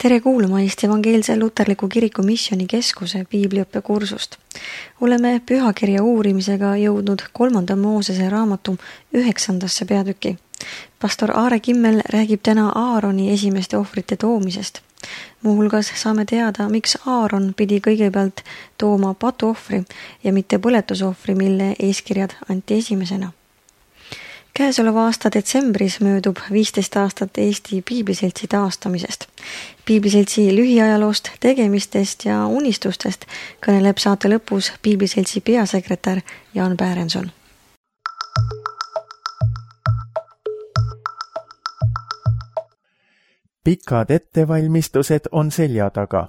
Tere kuulama Eesti Evangeelse Luterliku Kiriku Missioonikeskuse piibliõppekursust. Oleme pühakirja uurimisega jõudnud 3. Moosese raamatu 9. peatüki. Pastor Aare Kimmel räägib täna Aaroni esimeste ohvrite toomisest. Muuhulgas saame teada, miks Aaron pidi kõigepealt tooma patuohvri ja mitte põletusohvri, mille eeskirjad anti esimesena. Käesoleva aasta detsembris möödub 15 aastat Eesti Piibliseltsi taastamisest. Piibliseltsi lühiajaloost, tegemistest ja unistustest kõneleb saate lõpus Piibliseltsi peasekretär Jaan Päärenson. Pikad ettevalmistused on selja taga.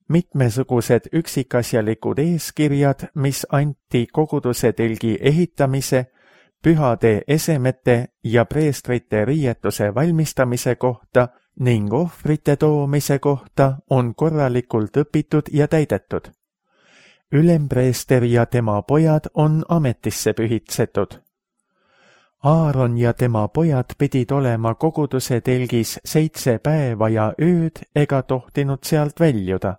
Mitmesugused üksikasjalikud eeskirjad, mis anti koguduse telgi ehitamise, pühade esemete ja preestrite riietuse valmistamise kohta ning ohvrite toomise kohta on korralikult õpitud ja täidetud. Ülempreester ja tema pojad on ametisse pühitsetud. Aaron ja tema pojad pidid olema koguduse telgis 7 päeva ja ööd ega tohtinud sealt väljuda.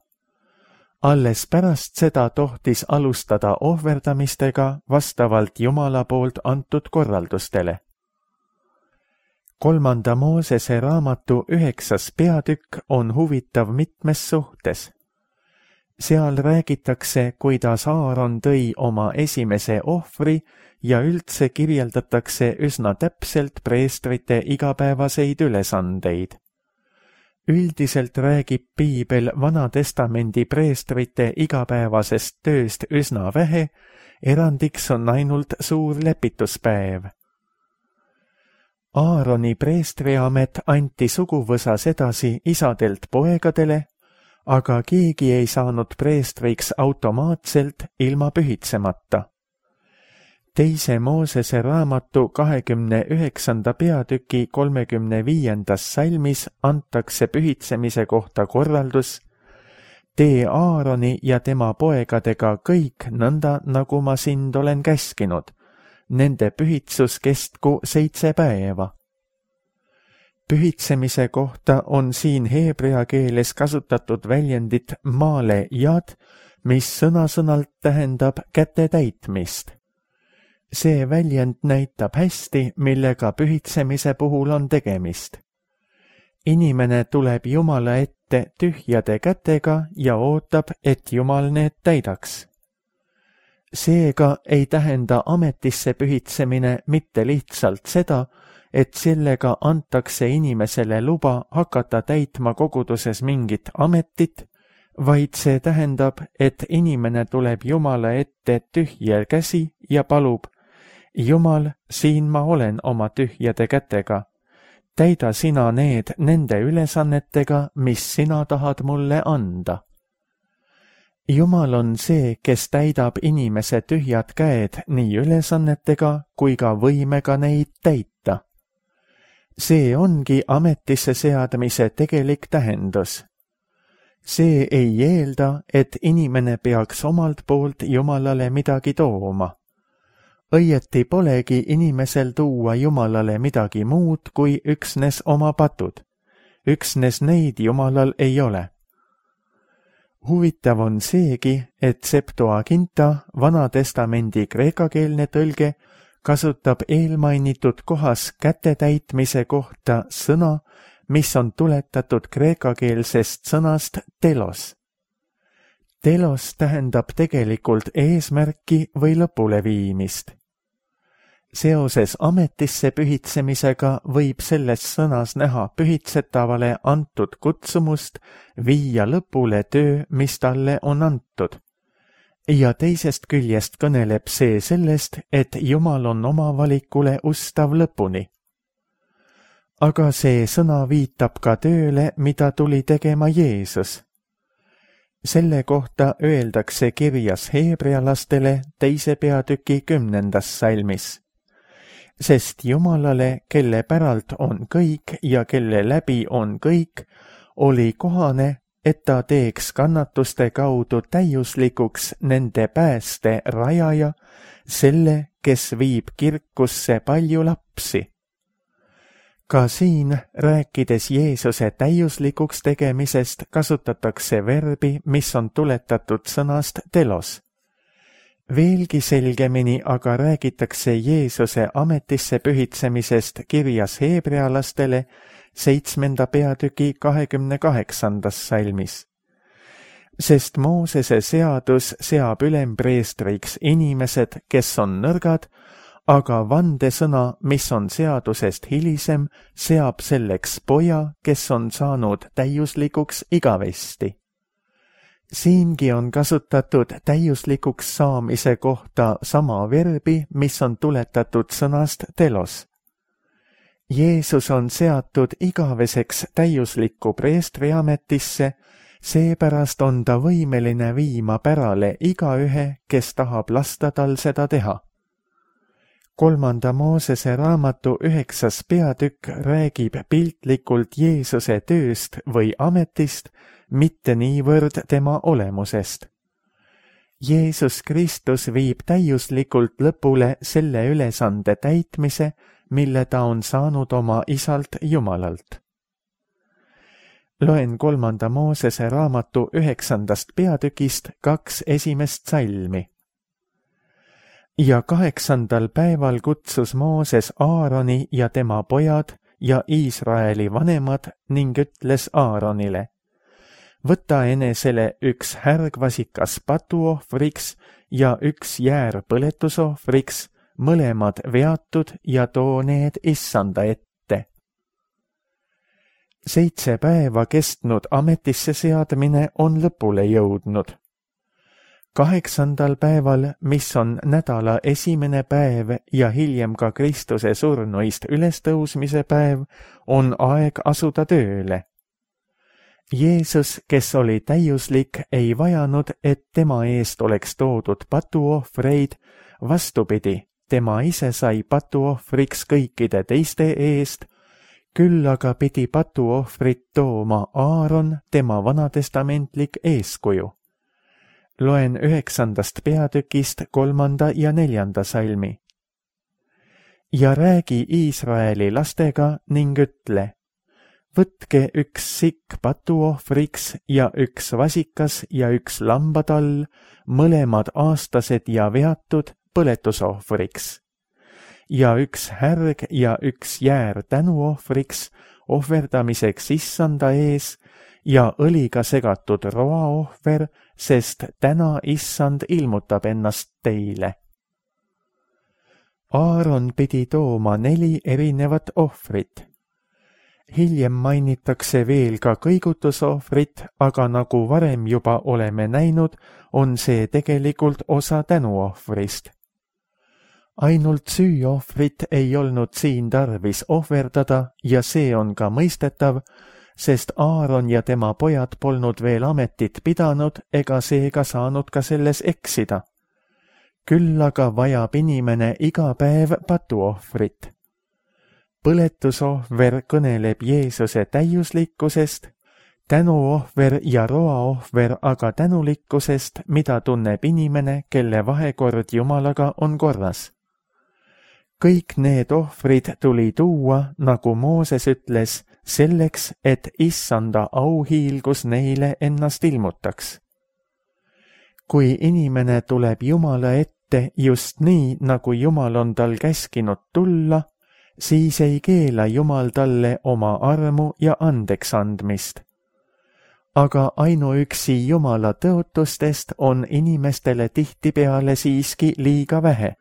Alles pärast seda tohtis alustada ohverdamistega vastavalt Jumala poolt antud korraldustele. 3. Moosese raamatu 9. peatükk on huvitav mitmes suhtes. Seal räägitakse, kuidas Aaron tõi oma esimese ohvri ja üldse kirjeldatakse üsna täpselt preestrite igapäevaseid ülesandeid. Üldiselt räägib piibel Vana-testamendi preestrite igapäevasest tööst üsna vähe, erandiks on ainult suur lepituspäev. Aaroni preestriamet anti suguvõsas edasi isadelt poegadele, aga keegi ei saanud preestriks automaatselt ilma pühitsemata. 2. Moosese raamatu 29. peatüki 35. salmis antakse pühitsemise kohta korraldus: tee Aaroni ja tema poegadega kõik nõnda, nagu ma sind olen käskinud. Nende pühitsus kestku 7 päeva. Pühitsemise kohta on siin heebrea keeles kasutatud väljendit maale jad, mis sõna-sõnalt tähendab käte täitmist. See väljend näitab hästi, millega pühitsemise puhul on tegemist. Inimene tuleb Jumala ette tühjade kätega ja ootab, et Jumal need täidaks. Seega ei tähenda ametisse pühitsemine mitte lihtsalt seda, et sellega antakse inimesele luba hakata täitma koguduses mingit ametit, vaid see tähendab, et inimene tuleb Jumala ette tühje käsi ja palub: Jumal, siin ma olen oma tühjade kätega. Täida sina need nende ülesannetega, mis sina tahad mulle anda. Jumal on see, kes täidab inimese tühjad käed nii ülesannetega kui ka võimega neid täita. See ongi ametisse seadmise tegelik tähendus. See ei eelda, et inimene peaks omalt poolt Jumalale midagi tooma. Õieti polegi inimesel tuua Jumalale midagi muud kui üksnes oma patud. Üksnes neid Jumalal ei ole. Huvitav on seegi, et Septuaginta, Vana-testamendi kreekakeelne tõlge, kasutab eelmainitud kohas käte täitmise kohta sõna, mis on tuletatud kreekakeelsest sõnast telos. Telos tähendab tegelikult eesmärki või lõpuleviimist. Seoses ametisse pühitsemisega võib selles sõnas näha pühitsetavale antud kutsumust viia lõpule töö, mis talle on antud. Ja teisest küljest kõneleb see sellest, et Jumal on oma valikule ustav lõpuni. Aga see sõna viitab ka tööle, mida tuli tegema Jeesus. Selle kohta öeldakse kirjas heebrealastele 2. peatüki 10. salmis. Sest Jumalale, kelle päralt on kõik ja kelle läbi on kõik, oli kohane, et ta teeks kannatuste kaudu täiuslikuks nende pääste rajaja, selle, kes viib kirkusse palju lapsi. Ka siin, rääkides Jeesuse täiuslikuks tegemisest, kasutatakse verbi, mis on tuletatud sõnast telos. Veelgi selgemini aga räägitakse Jeesuse ametisse pühitsemisest kirjas heebrealastele 7. peatüki 28. salmis. Sest Moosese seadus seab ülempreestriks inimesed, kes on nõrgad, aga vandesõna, mis on seadusest hilisem, seab selleks poja, kes on saanud täiuslikuks igavesti. Siingi on kasutatud täiuslikuks saamise kohta sama verbi, mis on tuletatud sõnast telos. Jeesus on seatud igaveseks täiuslikku preestriametisse, seepärast on ta võimeline viima pärale igaühe, kes tahab lasta tal seda teha. 3. Moosese raamatu 9. peatükk räägib piltlikult Jeesuse tööst või ametist, mitte niivõrd tema olemusest. Jeesus Kristus viib täiuslikult lõpule selle ülesande täitmise, mille ta on saanud oma isalt Jumalalt. Loen 3. Moosese raamatu 9. peatükist 2 esimest salmi. Ja 8. päeval kutsus Mooses Aaroni ja tema pojad ja Iisraeli vanemad ning ütles Aaronile: võta enesele üks härgvasikas patuohvriks ja üks jäär põletusohvriks, mõlemad veatud, ja too need Issanda ette. 7 päeva kestnud ametisse seadmine on lõpule jõudnud. 8. päeval, mis on nädala esimene päev ja hiljem ka Kristuse surnuist ülestõusmise päev, on aeg asuda tööle. Jeesus, kes oli täiuslik, ei vajanud, et tema eest oleks toodud patuohvreid, vastupidi, tema ise sai patuohvriks kõikide teiste eest, küll aga pidi patuohvrit tooma Aaron, tema vanatestamentlik eeskuju. Loen 9. peatükist 3. ja 4. salmi. Ja räägi Iisraeli lastega ning ütle: võtke üks sikk patuohvriks ja üks vasikas ja üks lambatall, mõlemad aastased ja veatud, põletusohvriks. Ja üks härg ja üks jäär tänuohvriks, ohverdamiseks Issanda ees, ja õliga segatud roaohver, sest täna Issand ilmutab ennast teile. Aaron pidi tooma 4 erinevat ohvrit. Hiljem mainitakse veel ka kõigutusohvrit, aga nagu varem juba oleme näinud, on see tegelikult osa tänuohvrist. Ainult süüohvrit ei olnud siin tarvis ohverdada ja see on ka mõistetav, sest Aaron ja tema pojad polnud veel ametit pidanud ega seega saanud ka selles eksida. Küll aga vajab inimene iga päev patuohvrit. Põletusohver kõneleb Jeesuse täiuslikkusest, tänuohver ja roaohver aga tänulikkusest, mida tunneb inimene, kelle vahekord Jumalaga on korras. Kõik need ohvrid tuli tuua, nagu Mooses ütles, selleks, et Issanda auhiilgus neile ennast ilmutaks. Kui inimene tuleb Jumala ette just nii, nagu Jumal on tal käskinud tulla, siis ei keela Jumal talle oma armu ja andeks andmist. Aga ainuüksi Jumala tõotustest on inimestele tihtipeale siiski liiga vähe.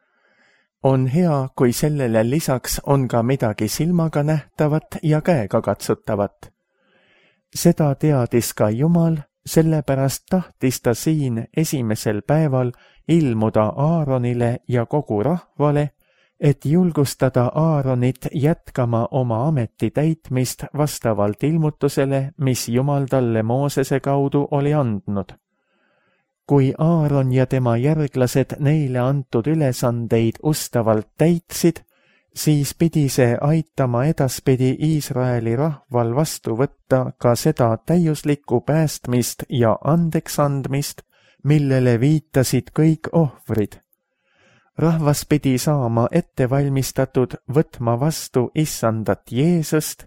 On hea, kui sellele lisaks on ka midagi silmaga nähtavat ja käega katsutavat. Seda teadis ka Jumal, sellepärast tahtis ta siin esimesel päeval ilmuda Aaronile ja kogu rahvale, et julgustada Aaronit jätkama oma ameti täitmist vastavalt ilmutusele, mis Jumal talle Moosese kaudu oli andnud. Kui Aaron ja tema järglased neile antud ülesandeid ustavalt täitsid, siis pidi see aitama edaspidi Iisraeli rahval vastu võtta ka seda täiuslikku päästmist ja andeksandmist, millele viitasid kõik ohvrid. rahvas pidi saama ette valmistatud võtma vastu issandat Jeesust,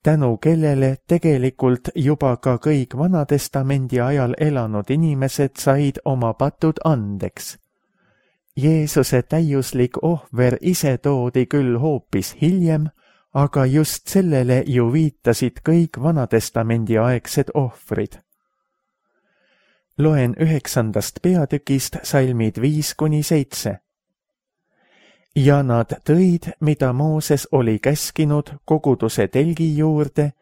tänu kellele tegelikult juba ka kõik Vanatestamendi ajal elanud inimesed said oma patud andeks. Jeesuse täiuslik ohver ise toodi küll hoopis hiljem, aga just sellele ju viitasid kõik Vanatestamendi aegsed ohvrid. Loen 9. peatükist salmid 5-7. Ja nad tõid, mida Mooses oli käskinud koguduse telgi juurde,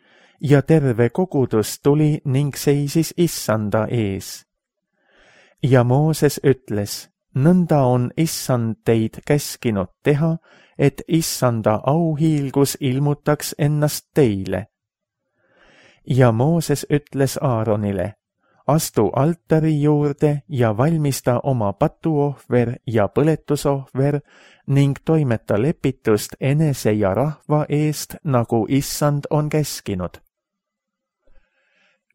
ja terve kogudus tuli ning seisis issanda ees. Ja Mooses ütles, nõnda on issand teid käskinud teha, et issanda auhiilgus ilmutaks ennast teile. Ja Mooses ütles Aaronile, astu altari juurde ja valmista oma patuohver ja põletusohver ning toimeta lepitust enese ja rahva eest, nagu issand on käskinud.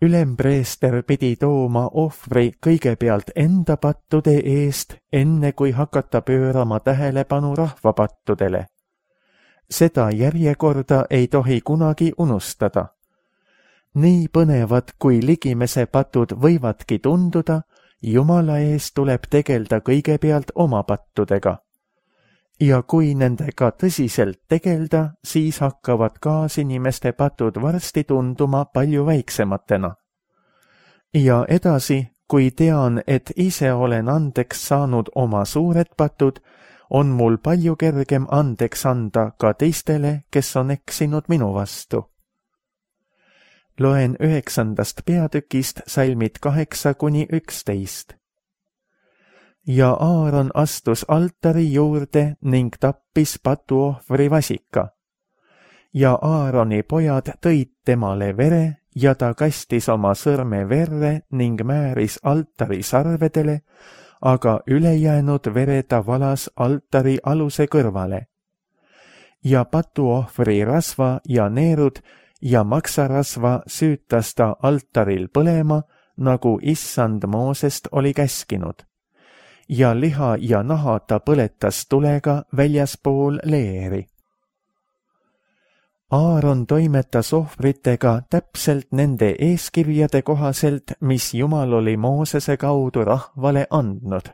Ülempreester pidi tooma ohvri kõigepealt enda pattude eest, enne kui hakata pöörama tähelepanu rahva pattudele. Seda järjekorda ei tohi kunagi unustada. Nii põnevad, kui ligimese patud võivadki tunduda, Jumala ees tuleb tegelda kõigepealt oma pattudega. Ja kui nendega tõsiselt tegelda, siis hakkavad kaasinimeste patud varsti tunduma palju väiksematena. Ja edasi, kui tean, et ise olen andeks saanud oma suured patud, on mul palju kergem andeks anda ka teistele, kes on eksinud minu vastu. Loen 9. peatükist salmid 8-11. Ja Aaron astus altari juurde ning tappis patuohvri vasika. Ja Aaroni pojad tõid temale vere ja ta kastis oma sõrme verre ning määris altari sarvedele, aga ülejäänud vere ta valas altari aluse kõrvale. Ja patuohvri rasva ja neerud ja maksarasva süütas ta altaril põlema, nagu issand Moosest oli käskinud. Ja liha ja naha ta põletas tulega väljaspool leeri. Aaron toimetas ohvritega täpselt nende eeskirjade kohaselt, mis Jumal oli Moosese kaudu rahvale andnud.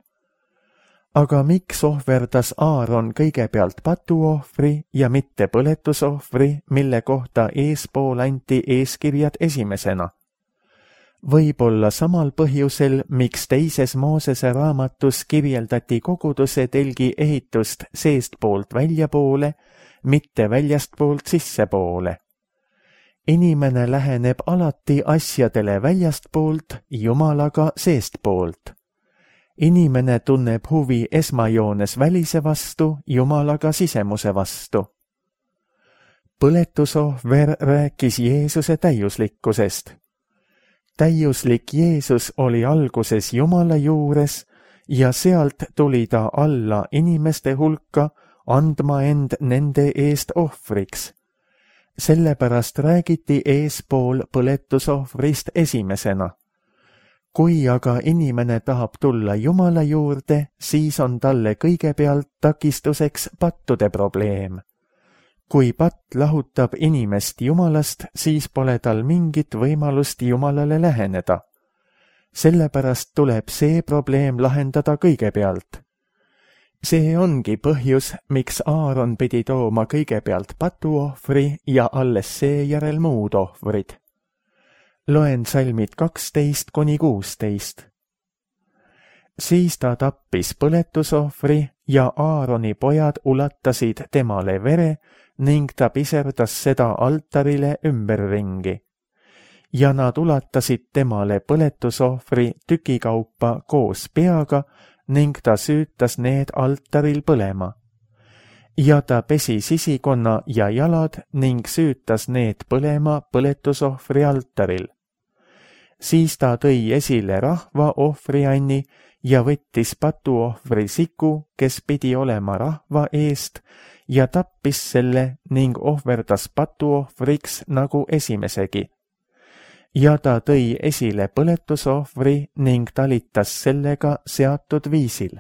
Aga miks ohverdas Aaron kõigepealt patuohvri ja mitte põletusohvri, mille kohta eespool anti eeskirjad esimesena? Võib-olla samal põhjusel, miks teises Moosese raamatus kirjeldati koguduse telgi ehitust seestpoolt väljapoole, mitte väljastpoolt sissepoole. Inimene läheneb alati asjadele väljastpoolt, Jumalaga seestpoolt. Inimene tunneb huvi esmajoones välise vastu, Jumalaga sisemuse vastu. Põletusohver rääkis Jeesuse täiuslikkusest. Täiuslik Jeesus oli alguses Jumala juures ja sealt tuli ta alla inimeste hulka, andma end nende eest ohvriks. Sellepärast räägiti eespool põletusohvrist esimesena. Kui aga inimene tahab tulla Jumala juurde, siis on talle kõigepealt takistuseks pattude probleem. Kui patt lahutab inimest Jumalast, siis pole tal mingit võimalust Jumalale läheneda. Sellepärast tuleb see probleem lahendada kõigepealt. See ongi põhjus, miks Aaron pidi tooma kõigepealt patuohvri ja alles seejärel muud ohvrid. Loen salmid 12-16. Siis ta tappis põletusohvri ja Aaroni pojad ulatasid temale vere ning ta piserdas seda altarile ümberringi. Ja nad ulatasid temale põletusohvri tükikaupa koos peaga ning ta süütas need altaril põlema. Ja ta pesi sisikonna ja jalad ning süütas need põlema põletusohvri altaril. Siis ta tõi esile rahva ohvrianni ja võttis patuohvri siku, kes pidi olema rahva eest, ja tappis selle ning ohverdas patuohvriks nagu esimesegi. Ja ta tõi esile põletusohvri ning talitas sellega seatud viisil.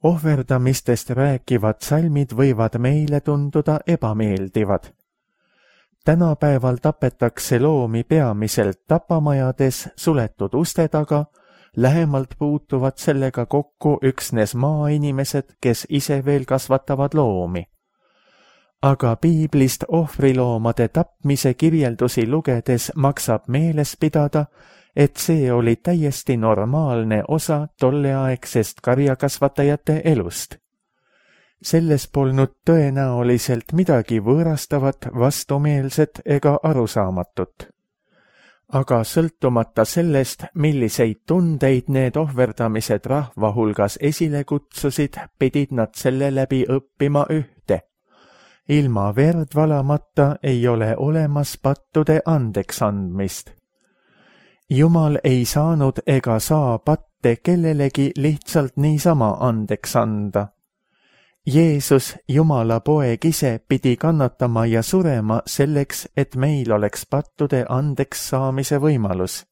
ohverdamistest rääkivad salmid võivad meile tunduda ebameeldivad. Tänapäeval tapetakse loomi peamiselt tapamajades suletud uste taga, lähemalt puutuvad sellega kokku üksnes maainimesed, kes ise veel kasvatavad loomi. Aga piiblist ohvriloomade tapmise kirjeldusi lugedes maksab meeles pidada, et see oli täiesti normaalne osa tolleaegsest karjakasvatajate elust. Selles polnud tõenäoliselt midagi võõrastavat, vastumeelset ega arusaamatut. Aga sõltumata sellest, milliseid tundeid need ohverdamised rahva hulgas esile kutsusid, pidid nad selle läbi õppima ühte. Ilma verd valamata ei ole olemas pattude andeks andmist. Jumal ei saanud ega saa patte kellelegi lihtsalt niisama andeks anda. Jeesus, Jumala poeg ise, pidi kannatama ja surema selleks, et meil oleks pattude andeks saamise võimalus.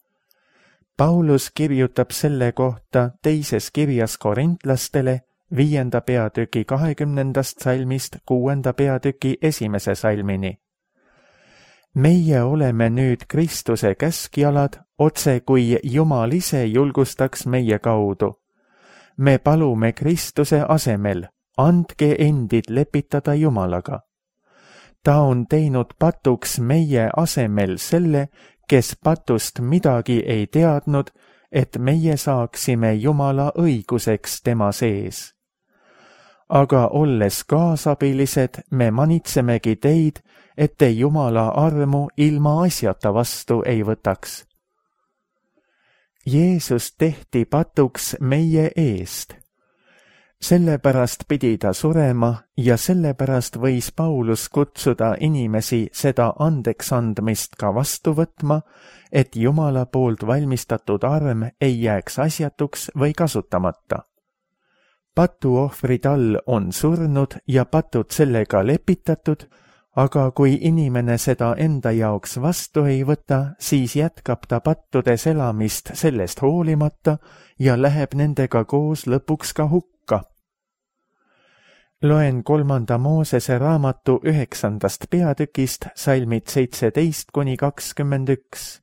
Paulus kirjutab selle kohta teises kirjas korintlastele 5. peatüki 20. salmist 6. peatüki 1. salmini. Meie oleme nüüd Kristuse käskjalad, otse kui Jumal ise julgustaks meie kaudu. Me palume Kristuse asemel, andke endid lepitada Jumalaga. Ta on teinud patuks meie asemel selle, kes patust midagi ei teadnud, et meie saaksime Jumala õiguseks tema sees. Aga olles kaasabilised, me manitsemegi teid, et te Jumala armu ilma asjata vastu ei võtaks. Jeesus tehti patuks meie eest. Sellepärast pidi ta surema ja sellepärast võis Paulus kutsuda inimesi seda andeks andmist ka vastu võtma, et Jumala poolt valmistatud arm ei jääks asjatuks või kasutamata. Patuohvrid all on surnud ja patud sellega lepitatud, aga kui inimene seda enda jaoks vastu ei võta, siis jätkab ta pattudes elamist sellest hoolimata ja läheb nendega koos lõpuks ka hukka. Loen 3. Moosese raamatu 9. peatükist salmid 17–21.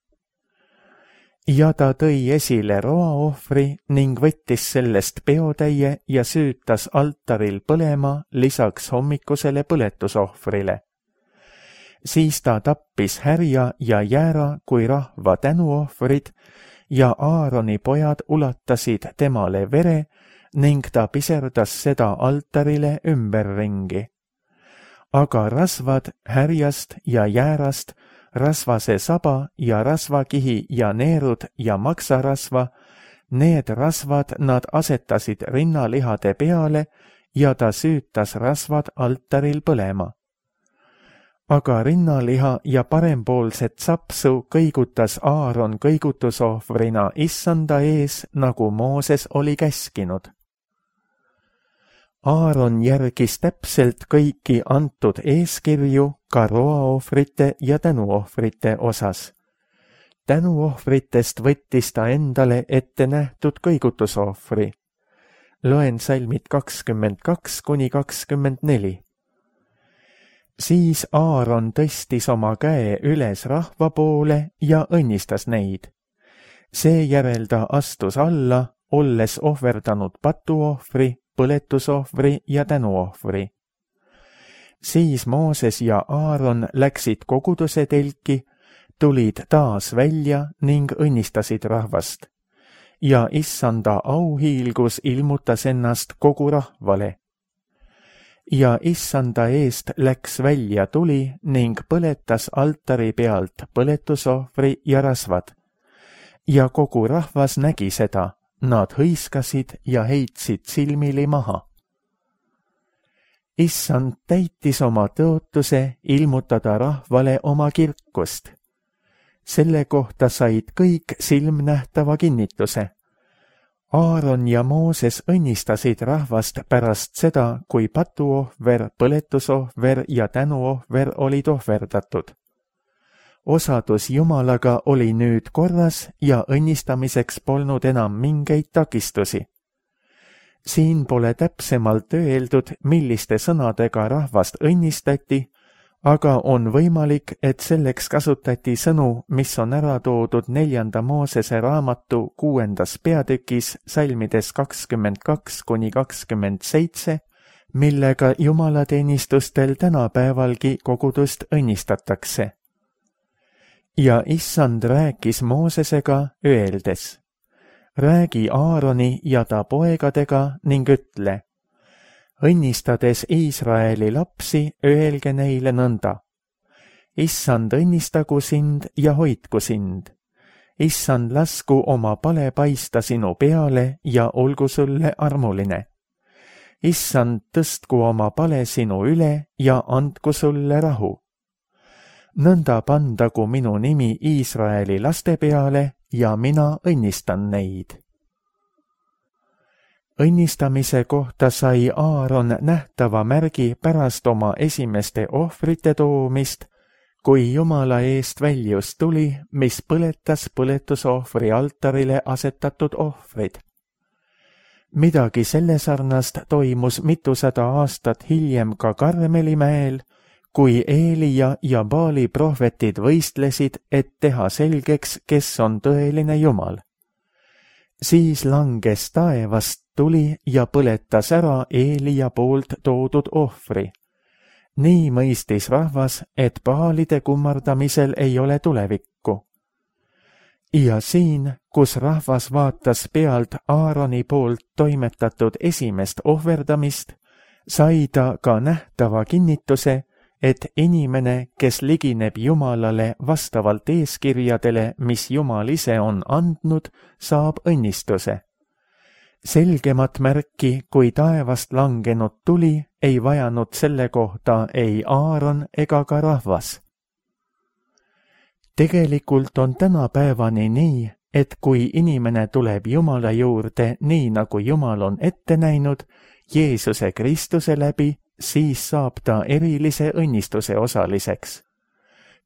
Ja ta tõi esile roaohvri ning võttis sellest peotäie ja süütas altaril põlema lisaks hommikusele põletusohvrile. Siis ta tappis härja ja jäära kui rahva tänuohvrid ja Aaroni pojad ulatasid temale vere ning ta piserdas seda altarile ümberringi. Aga rasvad härjast ja jäärast, rasvase saba ja rasvakihi ja neerud ja maksarasva, need rasvad nad asetasid rinnalihade peale ja ta süütas rasvad altaril põlema. Aga rinnaliha ja parempoolset sapsu kõigutas Aaron kõigutusohvrina issanda ees, nagu Mooses oli käskinud. Aaron järgis täpselt kõiki antud eeskirju ka roaohvrite ja tänuohvrite osas. Tänuohvritest võttis ta endale ette nähtud kõigutusohvri. Loen salmid 22–24. Siis Aaron tõstis oma käe üles rahva poole ja õnnistas neid. Seejärel ta astus alla, olles ohverdanud patuohvri, põletusohvri ja tänuohvri. Siis Mooses ja Aaron läksid koguduse telki, tulid taas välja ning õnnistasid rahvast. Ja issanda auhiilgus ilmutas ennast kogu rahvale. Ja issanda eest läks välja tuli ning põletas altari pealt põletusohvri ja rasvad. Ja kogu rahvas nägi seda. Nad hõiskasid ja heitsid silmili maha. Issand täitis oma tõotuse ilmutada rahvale oma kirkust. Selle kohta said kõik silmnähtava kinnituse. Aaron ja Mooses õnnistasid rahvast pärast seda, kui patuohver, põletusohver ja tänuohver olid ohverdatud. Osadus Jumalaga oli nüüd korras ja õnnistamiseks polnud enam mingeid takistusi. siin pole täpsemalt öeldud, milliste sõnadega rahvast õnnistati, aga on võimalik, et selleks kasutati sõnu, mis on ära toodud 4. Moosese raamatu 6. peatükis salmides 22–27, millega jumalateenistustel tänapäevalgi kogudust õnnistatakse. Ja issand rääkis Moosesega öeldes: räägi Aaroni ja ta poegadega ning ütle: õnnistades Iisraeli lapsi, öelge neile nõnda: issand õnnistagu sind ja hoidku sind. issand lasku oma pale paista sinu peale ja olgu sulle armuline. issand tõstku oma pale sinu üle ja andku sulle rahu. nõnda pandagu minu nimi Iisraeli laste peale ja mina õnnistan neid. Õnnistamise kohta sai Aaron nähtava märgi pärast oma esimeste ohvrite toomist, kui Jumala eest väljus tuli, mis põletas põletusohvri altarile asetatud ohvrid. Midagi selle sarnast toimus mitusada aastat hiljem ka Karmelimäel, kui Eelia ja Baali prohvetid võistlesid, et teha selgeks, kes on tõeline Jumal. Siis langes taevast tuli ja põletas ära Eelia poolt toodud ohvri. Nii mõistis rahvas, et Baalide kummardamisel ei ole tulevikku. Ja siin, kus rahvas vaatas pealt Aaroni poolt toimetatud esimest ohverdamist, sai ta ka nähtava kinnituse, et inimene, kes ligineb Jumalale vastavalt eeskirjadele, mis Jumal ise on andnud, saab õnnistuse. Selgemat märki, kui taevast langenud tuli, ei vajanud selle kohta ei Aaron ega ka rahvas. Tegelikult on tänapäevani nii, et kui inimene tuleb Jumala juurde nii, nagu Jumal on ette näinud, Jeesuse Kristuse läbi, siis saab ta erilise õnnistuse osaliseks.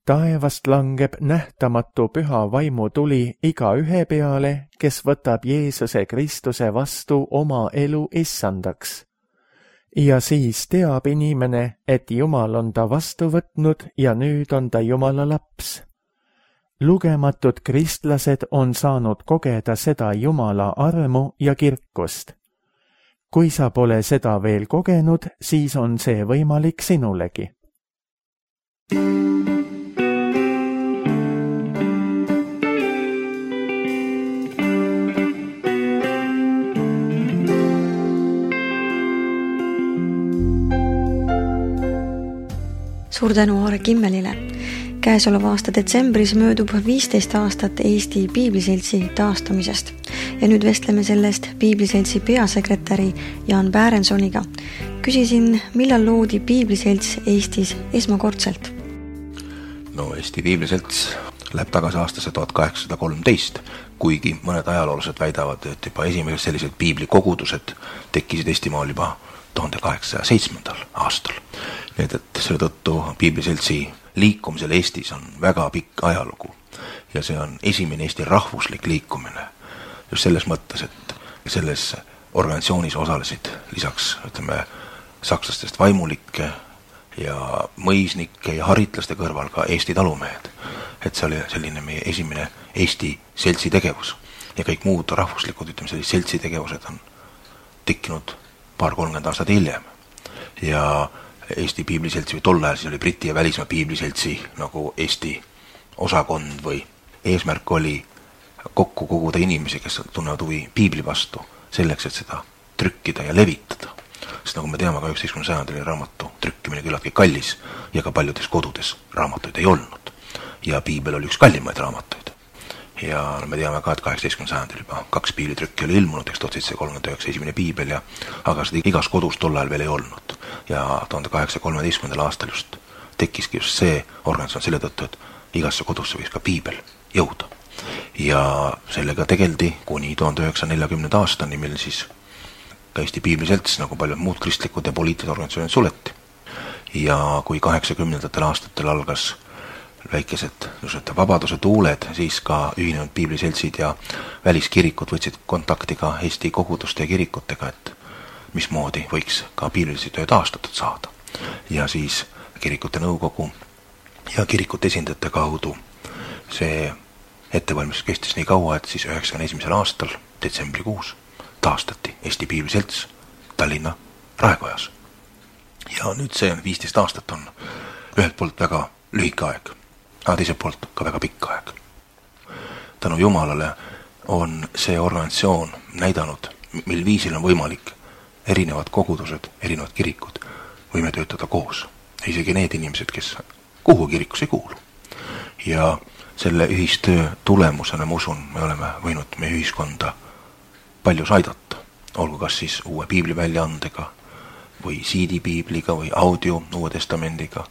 Taevast langeb nähtamatu püha vaimu tuli igaühe peale, kes võtab Jeesuse Kristuse vastu oma elu issandaks. Ja siis teab inimene, et Jumal on ta vastu võtnud ja nüüd on ta Jumala laps. Lugematud kristlased on saanud kogeda seda Jumala armu ja kirkust. Kui sa pole seda veel kogenud, siis on see võimalik sinulegi. Suur tänu Aare Kimmelile. Käesoleva aasta detsembris möödub 15 aastat Eesti Piibliseltsi taastamisest ja nüüd vestleme sellest Piibliseltsi peasekretäri Jaan Päärensoniga. Küsisin, millal loodi Piibliselts Eestis esmakordselt? No Eesti Piibliselts läheb tagasi aastasse 1813, kuigi mõned ajaloolased väidavad, et juba esimesed sellised piiblikogudused tekkisid Eestimaal juba 1807. aastal. Nii et selle tõttu Piibliseltsi liikumisel Eestis on väga pikk ajalugu ja see on esimene Eesti rahvuslik liikumine. Just selles mõttes, et selles organisatsioonis osalesid lisaks, sakslastest vaimulikke ja mõisnikke ja haritlaste kõrval ka Eesti talumehed. Et see oli selline meie esimene Eesti seltsi tegevus ja kõik muud rahvuslikud, seltsi tegevused on tekkinud 20–30 aastat hiljem. Ja Eesti Piibliseltsi või tol ajal siis oli Briti ja välismaa Piibliseltsi nagu Eesti osakond või eesmärk oli kokku koguda inimesi, kes tunnevad huvi Piibli vastu, selleks, et seda trükkida ja levitada. Sest nagu me teame, ka 19. sajandil oli raamatu trükkimine küllaltki kallis ja ka paljudes kodudes raamatuid ei olnud. Ja Piibel oli üks kallimaid raamatuid. Ja me teame ka, et 18. sajandil juba 2 piiblitrükki oli ilmunud, 1739 esimene Piibel, aga seda igas kodus tol ajal veel ei olnud. Ja 1813. aastal just tekkiski just see organisatsioon selle tõttu, et igasse kodusse võiks ka Piibel jõuda. Ja sellega tegeldi kuni 1940. aastani, mil siis ka Eesti Piibliselts, nagu paljud muud kristlikud ja poliitilised organisatsioonid suleti. Ja kui 80. aastatel algas väikesed vabaduse tuuled, siis ka ühinenud piibliseltsid ja väliskirikud võtsid kontakti ka Eesti koguduste ja kirikutega, et mismoodi võiks ka piibrilisi töö taastatud saada. Ja siis kirikute nõukogu ja kirikute esindajate kaudu see ettevalmistus kestis nii kaua, et siis 91. aastal, detsembrikuus, taastati Eesti Piibliselts Tallinna Raekojas. Ja nüüd see 15 aastat on ühelt poolt väga lühike aeg, aga teiselt poolt ka väga pikk aeg. Tänu Jumalale on see organisatsioon näidanud, mil viisil on võimalik erinevad kogudused, erinevad kirikud võime töötada koos. Isegi need inimesed, kes kuhu kirikus ei kuulu. Ja selle ühistöö tulemusena, ma usun, me oleme võinud meie ühiskonda paljus aidata. Olgu kas siis uue piibli väljaandega või CD-piibliga või audio Uue Testamendiga.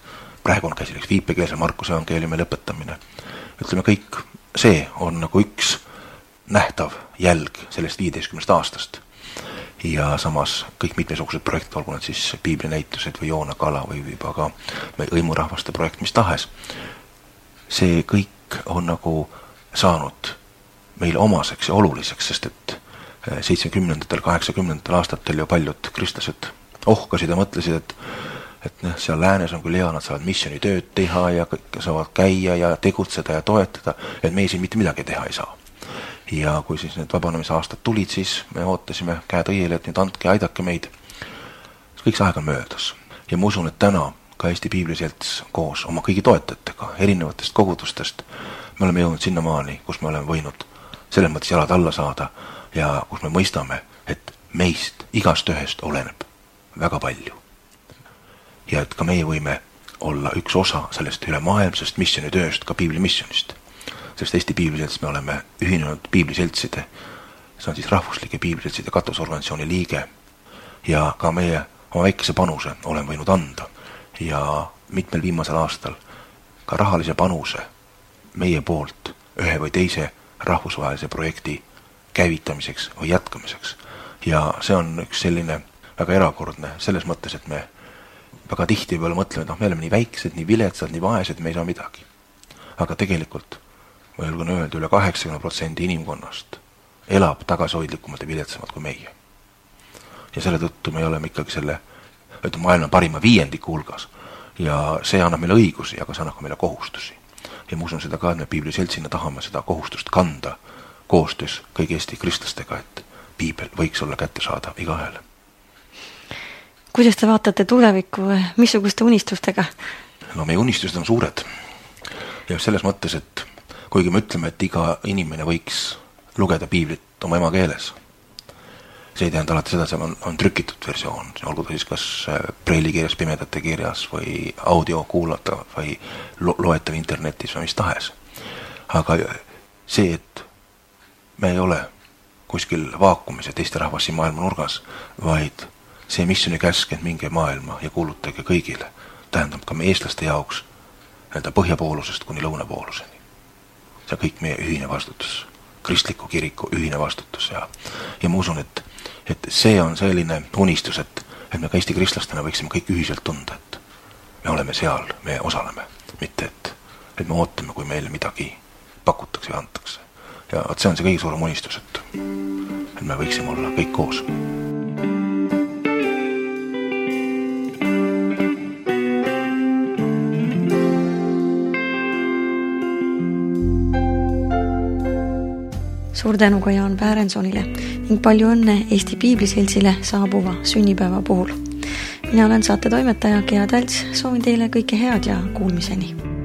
Praegu on käsileks viipekeelse Markuse evangeeliumi lõpetamine. Ütleme, kõik see on nagu üks nähtav jälg sellest 15 aastast. Ja samas kõik mitmesugused projektid, olgu need siis piiblinäitused või Joona Kala või juba ka hõimurahvaste projekt, mis tahes. See kõik on nagu saanud meile omaseks ja oluliseks, sest et 70. 80. aastatel ju paljud kristlased ohkasid ja mõtlesid, et seal läänes on küll hea, nad saavad missioonitööd teha ja kõik saavad käia ja tegutseda ja toetada, et meie siin mitte midagi teha ei saa. Ja kui siis need vabanemise aastad tulid, siis me ootasime käed õiele, et nüüd andke ja aidake meid. Kõik see aeg on möödas. Ja ma usun, et täna ka Eesti Piibliselts koos oma kõigi toetajatega, erinevatest kogudustest, me oleme jõudnud sinnamaani, kus me oleme võinud selles mõttes jalad alla saada ja kus me mõistame, et meist igast ühest oleneb väga palju. Ja et ka meie võime olla üks osa sellest ülemaailmsest missionitööst, ka piiblimissionist. Sest Eesti Piibliselts me oleme ühinenud piibliseltside, see on siis rahvuslike piibliseltside katusorganisatsiooni liige ja ka meie oma väikese panuse olen võinud anda ja mitmel viimasel aastal ka rahalise panuse meie poolt ühe või teise rahvusvahelise projekti käivitamiseks või jätkamiseks. Ja see on üks selline väga erakordne selles mõttes, et me väga tihti peale mõtleme, et me oleme nii väiksed, nii viletsad, nii vaesed, me ei saa midagi. Aga tegelikult ma julgen öelda, üle 80% inimkonnast elab tagasihoidlikumalt ja viletsamalt kui meie. Ja selle tõttu me oleme ikkagi selle maailma parima viiendiku hulgas ja see annab meile õigusi, aga see annab ka meile kohustusi. Ja ma usun seda ka, et me Piibliseltsina tahame seda kohustust kanda koostöös kõigi Eesti kristlastega, et piibel võiks olla kättesaadav igaühele. Kuidas te vaatate tulevikku, missuguste unistustega? No meie unistused on suured. Ja selles mõttes, et kuigi me ütleme, et iga inimene võiks lugeda piiblit oma emakeeles, see ei tähenda alati seda, see on trükitud versioon, olgu ta siis kas preelikirjas, pimedate kirjas või audio kuulata või loetav internetis või mis tahes. Aga see, et me ei ole kuskil vaakumis ja teiste rahvas siin maailma nurgas, vaid see missioni käsk, et minge maailma ja kuulutage kõigile, tähendab ka meie eestlaste jaoks põhjapoolusest kuni lõunapooluseni. See on kõik meie ühine vastutus, kristliku kiriku ühine vastutus ja ma usun, et see on selline unistus, et me ka Eesti kristlastena võiksime kõik ühiselt tunda, et me oleme seal, me osaleme, mitte et me ootame, kui meile midagi pakutakse ja antakse. Ja see on see kõige suurem unistus, et me võiksime olla kõik koos. Suur tänu ka Jaan Päärensonile ning palju õnne Eesti Piibliseltsile saabuva sünnipäeva puhul. Mina olen saate toimetaja Gea Tälts, soovin teile kõike head ja kuulmiseni.